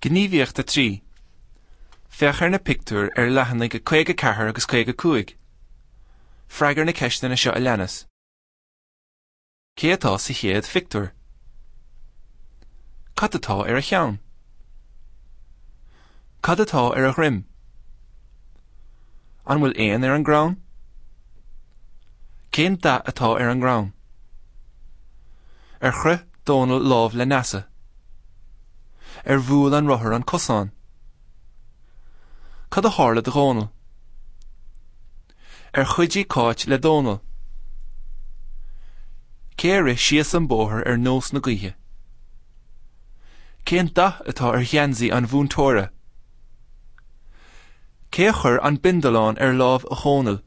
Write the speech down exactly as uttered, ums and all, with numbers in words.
Gníomhaíocht a trí. Féach ar na pictiúir ar leathanaigh caoga ceathair agus caoga cúig. Freagair na ceisteanna seo a leanas. Cé atá sa chéad phictiúr? Cad atá ar a cheann? Cad atá ar a dhroim? An bhfuil éan ar an gcrann? Cén dath atá ar an gcrann? Ar chroith Dónal lámh le Neasa? Ar bhuail an rothar an cosán? Cad a tharla do Dhónal? Ar chuidigh Cáit le Dónal? Cé a rith síos an bóthar ar nós na gaoithe? Cén dath atá ar gheansaí an mhúinteora? Cé a chuir an bindealán ar lámh Dhónaill?